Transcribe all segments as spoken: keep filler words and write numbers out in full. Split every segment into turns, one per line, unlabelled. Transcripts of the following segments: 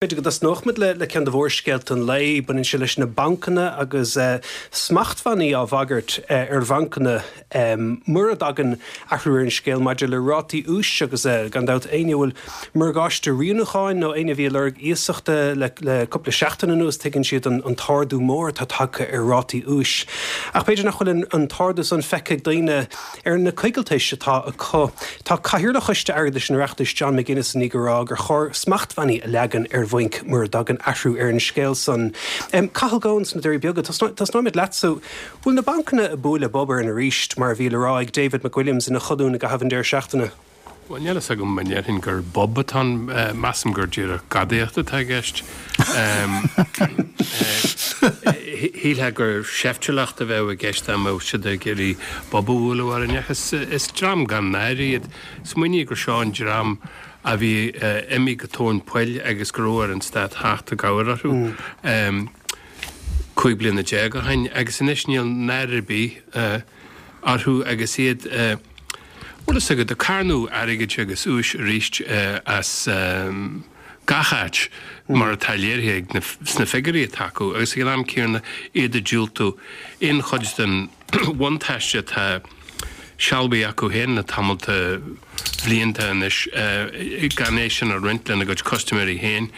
B'fhéidir go dtosnódh muid le ceann de mhórscéalta an lae. Baineann sé leis na bancanna agus smachtbhannaí á bhagairt ar bhancanna mura dtagann athrú ar an scéal maidir le rátaí úis agus gan dabht éinne a bhfuil morgáiste rianúcháin nó éinne a bhí ag lorg iasachta le cúpla seachtain anuas tuigeann siad an t-ardú mór atá tagtha ar rátaí úis. Ach b'fhéidir nach bhfuil an t-ardú san feicthe ag daoine ar na coigiltis atá acu. Tá Cathaoirleach Choiste Airgeadais an Oireachtais John McGuinness i ndiaidh a rá gur chóir smachtbhannaí a leagan ar bhainc mura dtagann athrú ar an scéal san. Cathal Goan sna Doirí Beaga, tosnóimid leatsa. Bhfuil na bancanna ag bualadh bob orainn arís, mar a bhí le rá ag David McWilliams ina cholún i gcaitheamh an deireadh seachtaine?
Bhuel, níl a fhios agam an ndéarfainn gur bob atá ann. Measaim gur díreach gadaíocht atá i gceist. Shílfeá gur seiftiúlacht a bheadh i gceist dá mbeadh siad ag iarraidh bob a bhualadh orainn ach is dream gan náire iad. Smaoinigh gur seo an dream a bhí imithe go tóin poill agus go raibh ar an stát theacht i gcabhair orthu cúig bliana déag ó shin agus anois níl náire ar bith orthu agus iad, bhfuil fhios agat, ag carnadh airgid agus úis arís as gach áit mar atá léirithe ag na sna figiúirí atá acu agus ag an am céanna iad ag diúltú aon chuid den bhuntáiste atá sealbhaithe acu féin le tamall de bhlianta anois gan é sin a roinnt lena gcuid custaiméirí féin.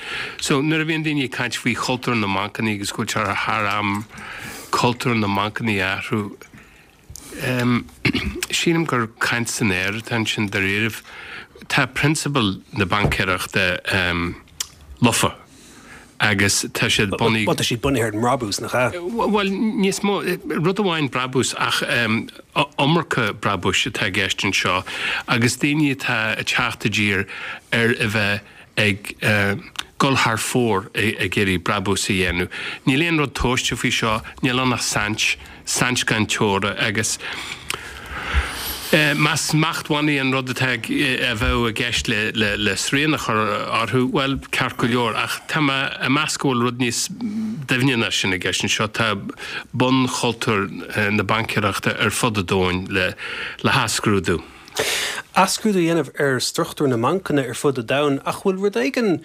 So nuair a bhíonn daoine ag caint faoi chultúr na mbancanna agus go bhfuil sé thar am cultúr na mbancanna a athrú, sílim gur caint san aer atá ansin dáiríribh. Tá prionsabail na baincéireachta lofa. Agus tá siad bunaithe.
Bhuel, tá siad bunaithe ar an mbrabús, nach ea?
Bhuel, níos mó, rud amháin brabús ach iomarca brabúis atá i gceist anseo agus daoine atá ag teacht i dtír ar a bheith ag dul thar fóir ag iarraidh brabús a dhéanamh. Níl aon rud tomhaiste faoi seo, níl ann ach saint, saint gan teora agus. Más smachtbhannaí an rud atá a bheadh i gceist le srian a chur orthu, bhuel, ceart go leor, ach tá mé ag meas go bhfuil rud níos doimhne ná sin i gceist anseo. Tá bunchultúr na baincéireachta ar fud an domhain le hathscrúdú.
Athscrúdú a dhéanamh ar struchtúr na mbancanna ar fud an domhain, ach bhfuil rud éigin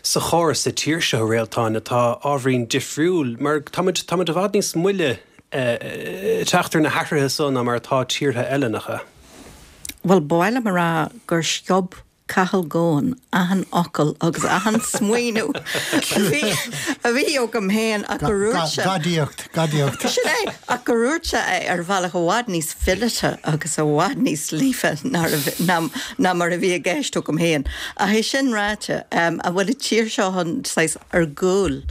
sa chóras sa tír seo, a Réaltáin, atá ábhairín difriúil, mar táimid i bhfad níos moille teacht ar na hathruithe so ná mar atá tíortha eile, nach ea?
Bhuel, ba mhaith liom a rá gur sciob Cathal Goan achan fhocal agus achan smaoineamh a bhí a bhí agam féin ach gur dhúirt sé.
Gadaíocht, gadaíocht.
Sin é, ach gur dhúirt sé é ar bhealach i bhfad níos fileata agus i bhfad níos líofa ná mar a bhí i gceist agam féin. Ach é sin ráite, an bhfuil an tír seo an saghas ar gcúl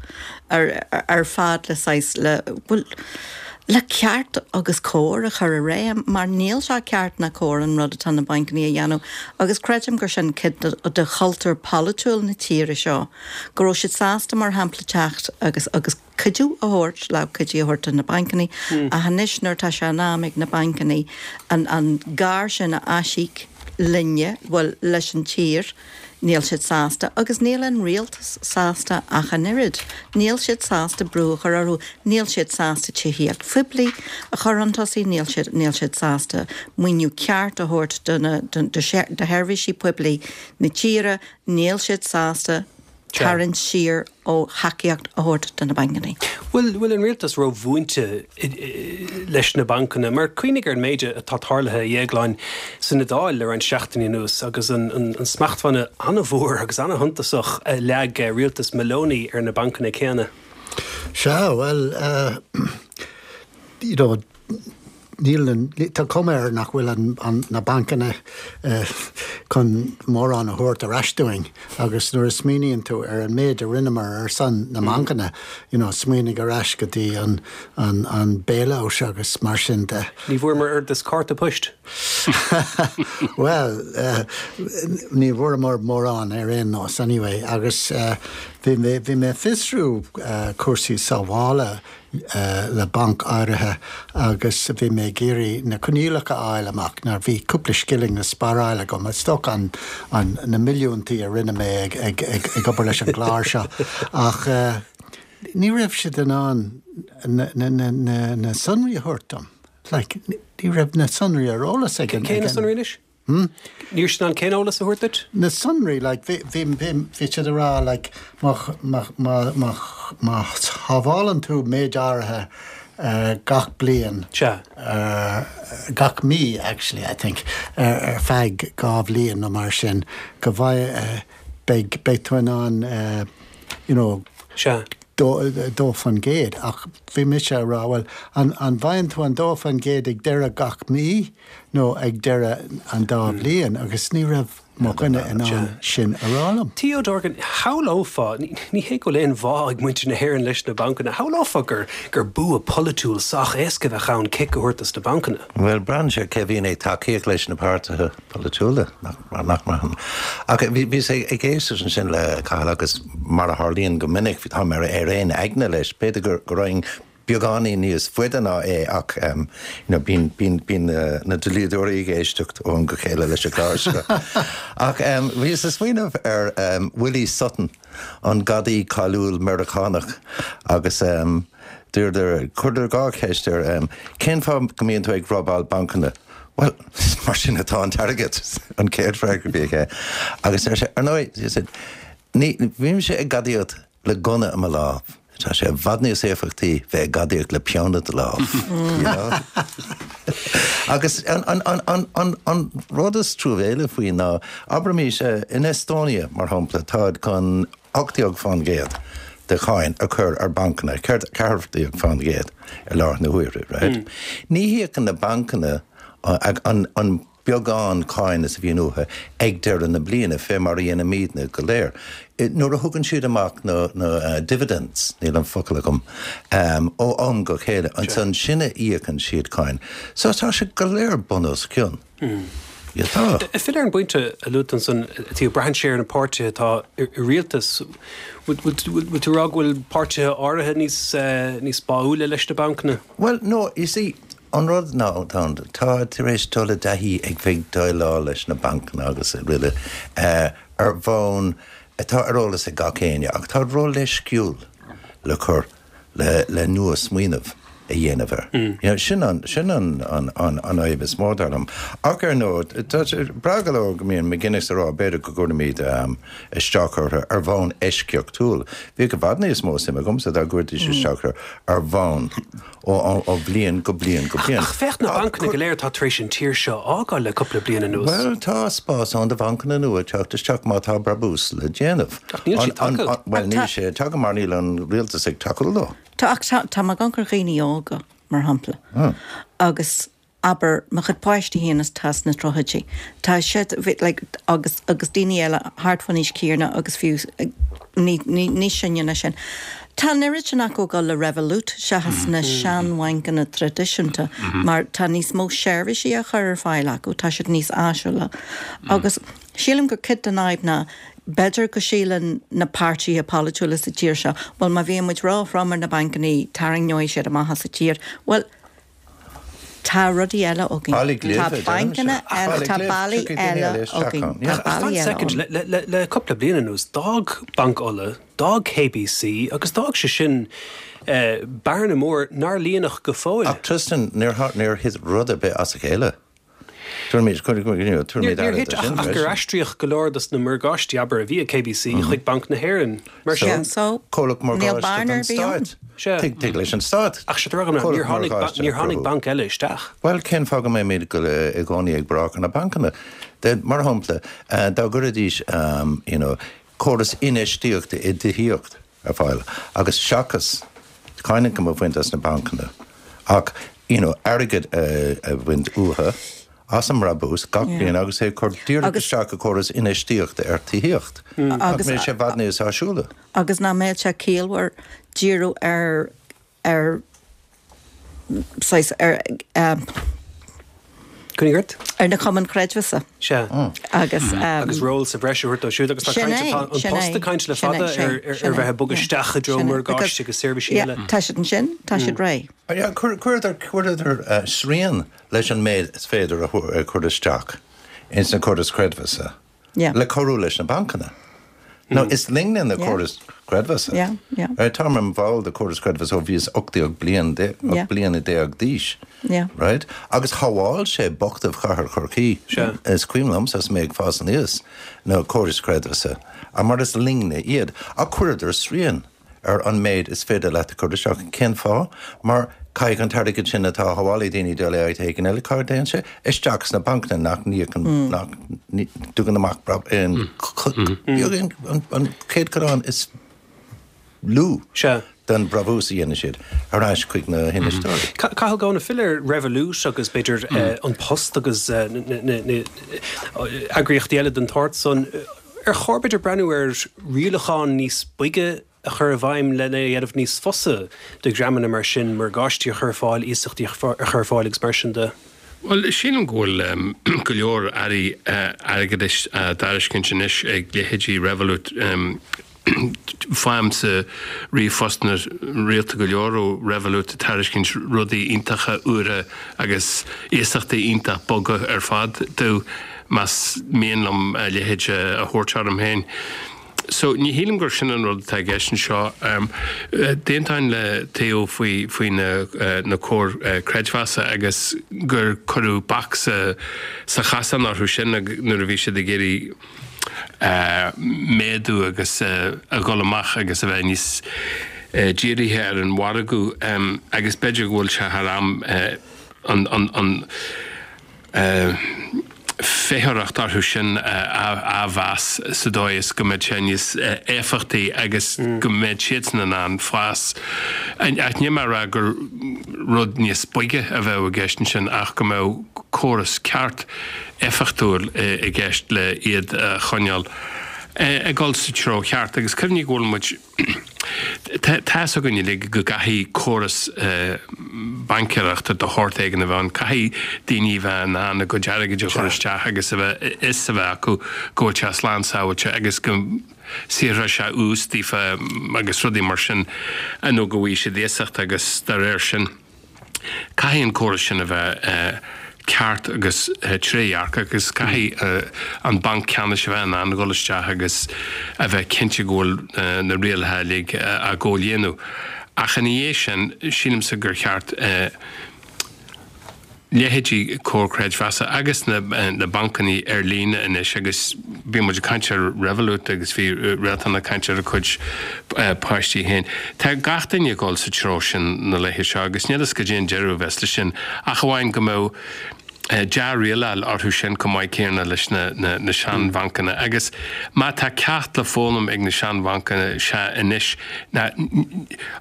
ar ar fad le saghas, le, bhuel, le ceart agus cóir a chur i réim mar níl sé ceart ná cóir an rud atá na bainceanna a dhéanamh agus creidim gur sin cuid de, de chultúr polaitiúil na tíre seo, go raibh siad sásta mar shampla teacht agus, agus cuidiú a thabhairt, lámh cuidithe a thabhairt do na bainceanna ach anois nuair atá sé in am ag na bainceanna an, an gar sin a aisíoc linne, bhuel, leis an tír, Níl siad sásta, agus níl an rialtas sásta ach an oiread. Níl siad sásta brú a chur orthu, níl siad sásta tithíocht phoiblí a chur chun tosaigh, níl siad, níl siad sásta maoiniú ceart a thabhairt do na, do, do sheirbhísí poiblí na tíre, níl siad sásta tarraingt siar ó thacaíocht a thabhairt do na bancanna.
Bhfuil, bhfuil an rialtas rómhúinte leis na bancanna? Mar cuimhnigh ar an méid atá tarlaithe, a Dhéagláin, san Iodáil le roinnt seachtainí anuas agus an, an, an smachtbhanna an-mhór agus an-shuntasach a leag rialtas Meloni ar na bancanna céanna.
Sea, bhuel, you know, Níl an, tá cuma air nach bhfuil an, na bancanna chun mórán a thabhairt ar ais dúinn agus nuair a smaoiníonn tú ar an méid a rinneamar ar son na mbancanna, you know, smaoinigh ar ais go dtí an, an, an bailout agus mar sin de.
Ní bhfuaireamar oiread is cárta poist.
Bhuel, ní bhfuaireamar mórán ar aon nós anyway agus bhí mé, bhí mé ag fiosrú cúrsaí sábhála le banc áirithe agus bhí mé ag iarraidh na coinníollacha a fháil amach mar bhí cúpla scilling le sparáil agam, is dócha an, an, na milliúntaí a rinne mé ag, ag, ag, ag obair leis an gclár seo ach ní raibh siad in ann na, na, na, na, na sonraí a thabhairt dom. Like, ní raibh na sonraí ar eolas ag an,
Cé na sonraí anois?
Hmm?
Níor sin an cén eolas a thabhairt duit?
Na sonraí, like, bhí bhí bhí bhí siad ag rá, like, má má má má má shábhálann tú méid áirithe uh, gach bliain,
Sea.
uh, gach mí actually, I think, uh, ar feadh dhá bhliain nó mar sin, go bhfai uh, beidh beidh tú in ann uh, you know,
Sea.
dó dó faoin gcéad ach bhí mise ag rá well an an bhfaigheann tú an dó faoin gcéad ag deireadh gach mí nó ag deireadh an dá bhliain agus ní raibh mo dhuine in ann sin a rá liom.
Theo Dorgan, shamhlófá, ní ní hé go bhfuil aon bhá ag muintir na hÉireann leis na bancanna, shamhlófá gur gur bua polaitiúil sách éasca a bheadh ann cic a thabhairt dos na bancanna.
Well braitheann sé cé bhíonn ag tacaíocht leis na páirtithe polaitiúla nach nach mar. Ach bhí bhí sé ag éisteacht ansin le Cathal agus mar a tharlaíonn go minic bhí tá mar ar aon aigne leis, b'fhéidir gur gur raghainn beagáinín níos faide ná é ach um, you know, bíonn bíonn bíonn uh, na dlíodóirí ag éisteacht ó am go chéile leis an gclár seo. Ach um, bhíos ag smaoineamh ar um, Willie Sutton an gadaí cáiliúil Meiriceánach agus um, dúirt chuireadar dhá cheist air um, cén fáth go mbíonn tú ag robáil bancanna. Well, mar sin atá an t-airgead an chéad fhreagra a bhí aige. Agus ar sé ar ndóigh, ní bhímse ag gadaíocht le gunna i mo lámh. Tá sé i bhfad níos éifeachtaí bheith ag gadaíocht le peann i do lámh. you know? Agus an, an, an, an, an, an rud is truamhéile faoi ná abraimis in Estonia mar shampla táid chun ocht déag faoin gcéad de cháin a chur ar bancanna, ceathair déag faoin gcéad ar láthair na huaire, right? Mm. Ní híocann na bancanna an, an beagán cáin is a bhíonn uathu ag deireadh na bliana fé mar a dhéanaimidne go léir. Nuair a thugann siad amach na, na uh, dividends níl an focal agam um, ó am go chéile ansan sin a íocann siad cáin. So tá sé go léir bun os cionn. Mm. Ja, tá.
Fill ar an bpointe a luaigh tú ansan tí braitheann sé ar na páirtithe atá i rialtas bhfuil tú rá go bhfuil páirtithe áirithe níos níos báúla leis na bancanna?
Well, no, you see, an rud ná tá tá tar éis dul i dtaithí ag bheith déileáil leis na bancanna agus ruile uh, ar bhonn atá ar eolas ag gach éinne ach tá ró-leisciúil le cur le, le nua smaoineamh a dhéanamh air. Mm. You know, sin an, sin an, an, an, an fhadhb is mó dar liom. Ach ar ndóigh, tá sé breá go leor go mbíonn McGuinness ag rá b'fhéidir go gcuirfimid um, isteach orthu ar bhonn eisceachtúil. Bhí go bhfad níos mó suim agamsa dá gcuirfidís isteach orthu ar bhonn ó, ó, ó bliain go bliain go bliain.
Ach féach na bancanna go léir atá tar éis an tír seo a fhágáil le cúpla bliain anuas.
Well tá spás ann do bhancanna nua teacht isteach má tá brabús le déanamh.
Ach níl sé tagtha.
Well níl sé tagtha mar níl an rialtas ag tacú leo.
Tá ach tá tá mé ag amharc ar dhaoine óga mar shampla.
Mm.
Agus abair mo chuid páistí féin atá sna tríochaidí. Tá siad like, agus agus daoine eile thart faoin aois chéanna agus fiú ní ní ní sinne ná sin. Tá an oiread sin acu ag dul le Revolut seachas na seanbhancanna traidisiúnta mar tá níos mó seirbhísí a chur ar fáil acu, tá siad níos áisiúla. Agus sílim gur cuid den fhadhb ná b'fhéidir go síleann na páirtithe polaitiúla sa tír seo, well má bhíonn muid róthrom ar na bancanna tarraingeoidh siad amach as sa tír. Well, tá rudaí eile againn. Tá bancanna eile tá bealaí eile againn. Tá bealaí eile
Second, le, le, le cúpla bliain anuas, d'fhág Banc Uladh, d'fhág KBC agus d'fhág sé sin eh, bearna mór nár líonadh go fóill.
Ach Tristan níor níor thit rud ar bith as a chéile. Tuair
Níor thit ach ach gur aistríodh go leor dos na morgáistí abair a bhí ag KBC chuig Banc na hÉireann. Mar sin
so
Comhlacht
níl
morgáiste
bearna
don
ar bith ann.
stáit.
Sea.
Tig tig leis an stát.
Ach sé rá níor tháinig ba- níor tháinig banc eile isteach.
Well cén fáth go mbeimid go i gcónaí ag brath ar na bancanna. De, mar shampla, uh, dá gcuiridís um, you know, córas infheistíochta i dtithíocht ar fáil agus seachas cáin ioncam a bhaint as na bancanna. Ach you know, airgead uh, a bhaint uathu as an mbrabús gach
Yeah.
bliain agus é chur díreach
Agus-
isteach i gcóras infheistíochta ar tithíocht.
Agus-
Agus sé i bhfad níos áisiúla.
agus nach mbeadh sé ciallmhar díriú ar ar saghas ar um,
Cúnigart?
ar na cumainn chreidmheasa
Sea.
agus um,
Agus ról sa bhreis a thabhairt dóibh siúd agus tá
Sin
caint
é,
atá an
sin
post
é,
caint le
sin é,
fada
sin,
ar ar
sin
ar
é,
bheith ag bogadh
yeah,
isteach i dtreo
sin é,
morgáiste
because-
agus seirbhísí
yeah,
eile.
Tá siad ansin, tá siad réidh.
Ja, chuireadar chuireadar uh, srian leis an méid is féidir a chur a chur isteach ins na córas creidmheasa.
Yeah.
Le cabhrú leis na bancanna. Now, is linne na córais creidmheasa.
Yeah, yeah.
Right, táim mar bhall de córas creidmheasa ó bhíos ocht déag bliain de,
Yeah.
bliana déag d'aois.
Yeah.
Right? Agus shábháil sé bochtaibh chathair Chorcaí.
Sea.
Is cuimhin liomsa is mé ag fás aníos na córais creidmheasa. A mar is linne iad a chuireadar srian ar an méid is féidir leat a chur isteach cén fáth, mar caithfidh an t-airgead sin atá á shábháil ag daoine dul áit éigin eile cá dtéann sé isteach sna bancanna nach n-íocann nach dtugann amach in beag an céatadán is lú
Sea.
den brabús a dhéanann siad ar ais chuig na hinfheisteoirí.
Cathal Goan ag filleadh ar Revolut agus b'fhéidir An Post agus na eagraíochtaí eile den tsórt san ar chóir b'fhéidir breathnú ar rialacháin níos boige a chur i bhfeidhm lena dhéanamh níos fusa do dhreamanna mar sin morgáistí a chur ar fáil, iasachtaí a chur ar fáil agus mar sin de.
Bhuel, sílim go bhfuil go leor earraí airgeadais á dtairiscint anois ag leithéidí Revolut. Faighimse ríomhphostanna rialta go leor ó Revolut ag tairiscint rudaí iontacha úra agus iasachtaí iontach boga ar fad domh más mian liom a leithéid a thabhairt orm féin. So ní shílim gur sin an rud atá i gceist anseo. D'aontóinn le Theo faoi faoi na na comhair creidmheasa agus gur cuireadh bac sa sa chasán orthu sin nuair a bhí siad ag iarraidh méadú agus a dhul amach agus a bheith níos dírithe ar an mhargadh agus b'fhéidir go bhfuil sé thar am an an an feitheoireacht orthu sin a athmheas sa dóigh is go mbeidh sé níos éifeachtaí agus go mbeidh siadsan in ann fás. Ach níl mé ag rá gur rud níos boige a bheadh i gceist ansin ach go mbeadh córas ceart éifeachtúil i gceist le iad a choinneáil ag dul sa treo cheart. Agus cuimhnigh go bhfuil muid, tá fhios againn uilig go gcaithfidh córas baincéireachta de shórt éigin a bheith ann, caithfidh daoine a bheith in ann a gcuid airgid a chur isteach agus a bheith fhios a bheith acu go bhfuil sé slán sábháilte agus go saothróidh sé ús daofa agus rudaí mar sin nó go bhfaighidh siad iasacht agus dá réir sin. Caithfidh an córas sin a bheith ceart agus trédhearcach agus caithfidh an Banc Ceannais a bheith in ann a dhul isteach agus a bheith cinnte go bhfuil na rialacha uilig á gcomhlíonadh. Ach ina dhiaidh sin, sílimse gur cheart leithéidí Comhar Creidmheasa agus na bancanna ar líne anois agus bhí muid ag caint ar Revolut agus bhí Réaltán ag caint ar a cuid páistí féin. Tá gach duine ag dul sa treo sin na laethe seo agus níl fhios goidé an deireadh a bheas leis sin ach amháin go mbeadh dea-rialáil orthu sin chomh maith céanna leis na seanbhancanna. Agus má tá ceacht le foghlaim ag na seanbhancanna sea anois ná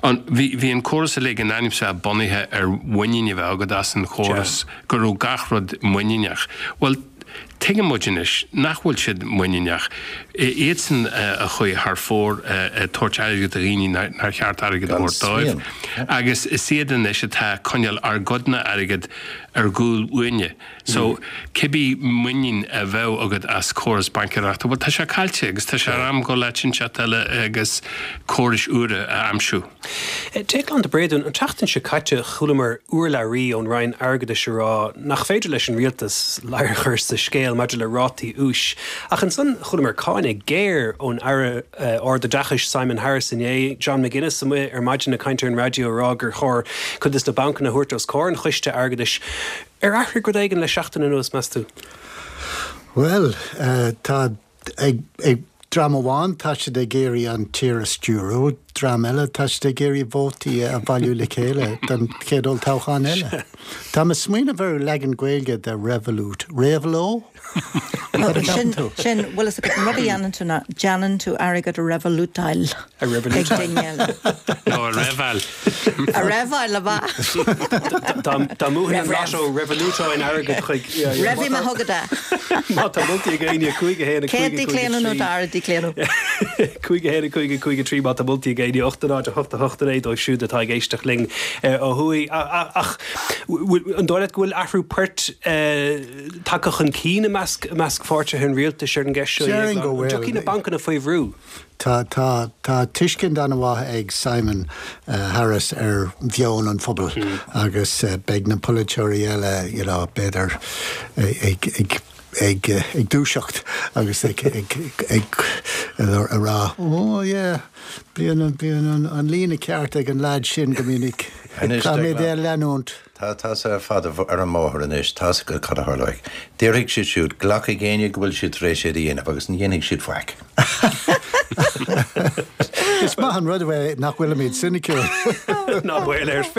an bhí bhí an córas uilig in ainm is a bheith bunaithe ar mhuinín a bheith agat as an chóras, go raibh gach rud muiníneach. Bhuel, tuigeann muid anois nach bhfuil siad muiníneach. Iadsan a chuaigh thar fóir ag tabhairt airgid do dhaoine nár cheart airgead a thabhairt dóibh. Agus is iad anois atá ag coinneáil ár gcuidne airgid ar gcúl uainne. So, cibé muinín a bheadh agat as córas baincéireachta, bhuel, tá sé caillte agus tá sé ar am dul áit inteacht eile agus córais úra a aimsiú.
Déaglán de Bréadún, an tseachtain seo caite chualamar urlabhraí ón Roinn Airgeadais ag rá nach féidir leis an rialtas ladhar a chur sa scéal maidir le rátaí úis. Ach ansan chualamar cáineadh géar ón Aire Ardoideachais Simon Harris inné, John McGuinness amuigh ar maidin ag caint ar an raidió ag rá gur chóir cuid de na bancanna a thabhairt os comhair an Choiste Airgeadais. Ar athraigh rud éigin le seachtain anuas, meas tú?
Bhuel, tá ag ag dream amháin tá siad ag iarraidh an tír a stiúradh, dream eile tá siad ag iarraidh vótaí a bhailiú le chéile don chéad olltoghchán eile. Tá mé ag smaoineamh ar leagan Gaeilge de Revolut. Réabhló?
Sin, sin, bhfuil fhios agat, an rud a dhéanann tú ná déanann tú airgead a revolutáil.
A revolutáil.
Ag duine eile.
Nó a reibheáil.
A reibheáil, ab ea?
Dá mbuafainn an lotto revolútóinn airgead chuig.
Reibhfidh mé chugat é.
Má tá moltaí ag éinne, cúig a haon a cúig a
Céad
cúig a trí.
díchlaonadh nó dara díchlaonadh.
Cúig a haon a cúig a cúig a trí má tá moltaí ag éinne, ocht a náid a hocht a hocht a naoi dóibh siúd atá ag éisteacht linn ó thuaidh. Ach an dóigh leat go bhfuil athrú poirt tagtha chun cinn i measc i measc pháirtithe an rialtais ar an gceist seo?
Déarfainn go
An
bhfuil.
dtiocfaidh na bancanna faoi bhrú?
Tá tá tá tuiscint an-mhaith ag Simon Harris ar mheon an phobail agus beidh na polaiteoirí eile you know b'fhéidir ag ag ag ag dúiseacht agus ag ag ag a rá oh yeah bíonn bíonn an líne ceart ag an lad sin go minic Tá mé de leanúint.
Tá tá sé fada ar an mbóthar anois tá go cad a tharlóidh. Déarfaidh siad siúd glacfaidh éinne go bhfuil siad tar éis é a dhéanamh agus ní dhéanfaidh siad faic.
Is maith an rud é nach bhfuilimid soiniciúil.
Ná baol air.